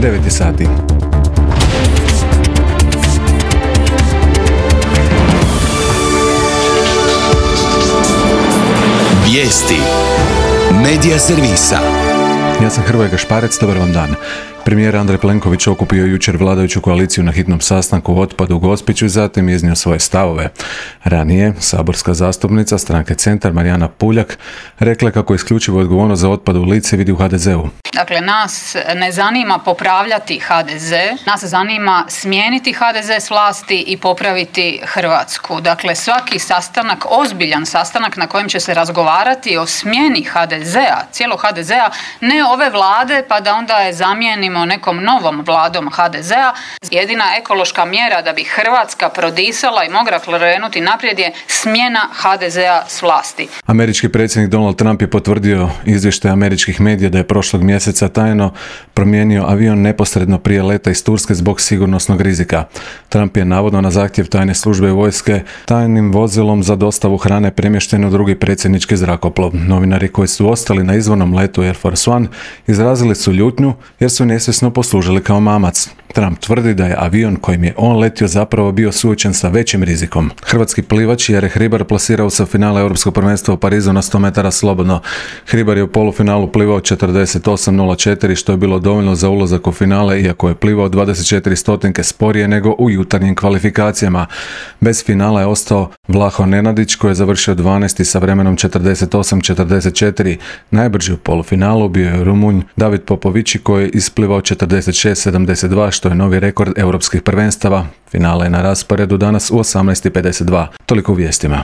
9 sati. Vijesti Medija servisa. Ja sam Hrvoje Gašparec, dobar vam dan. Premijer Andrej Plenković okupio jučer vladajuću koaliciju na hitnom sastanku o otpadu u Gospiću i zatim iznio svoje stavove. Ranije, saborska zastupnica stranke Centar Marijana Puljak rekla kako isključivo odgovornost za otpad u lice vidi u HDZ-u. Dakle, nas ne zanima popravljati HDZ, nas zanima smijeniti HDZ s vlasti i popraviti Hrvatsku. Dakle, svaki sastanak, ozbiljan sastanak na kojem će se razgovarati o smjeni HDZ-a, cijelog HDZ-a, ne ove vlade pa da onda je zamijenimo nekom novom vladom HDZ-a. Jedina ekološka mjera da bi Hrvatska prodisala i mogla krenuti naprijed je smjena HDZ-a s vlasti. Američki predsjednik Donald Trump je potvrdio izvještaj američkih medija da je prošlog mjeseca tajno promijenio avion neposredno prije leta iz Turske zbog sigurnosnog rizika. Trump je navodno na zahtjev tajne službe vojske tajnim vozilom za dostavu hrane premješten u drugi predsjednički zrakoplov. Novinari koji su ostali na izvornom letu Air Force One izrazili su ljutnju jer su nesvjesno poslužili kao mamac. Trump tvrdi da je avion kojim je on letio zapravo bio suočen sa većim rizikom. Hrvatski plivač Jere Hribar plasirao se u finale Europskog prvenstva u Parizu na 100 metara slobodno. Hribar je u polufinalu plivao 48.04 što je bilo dovoljno za ulazak u finale, iako je plivao 24 stotinke sporije nego u jutarnjim kvalifikacijama. Bez finala je ostao Vlaho Nenadić koji je završio 12. sa vremenom 48.44. Najbrži u polufinalu bio je Rumunj David Popovići koji je isplivao 46.72 što je novi rekord europskih prvenstava. Finale je na rasporedu danas u 18.52. Toliko u vijestima.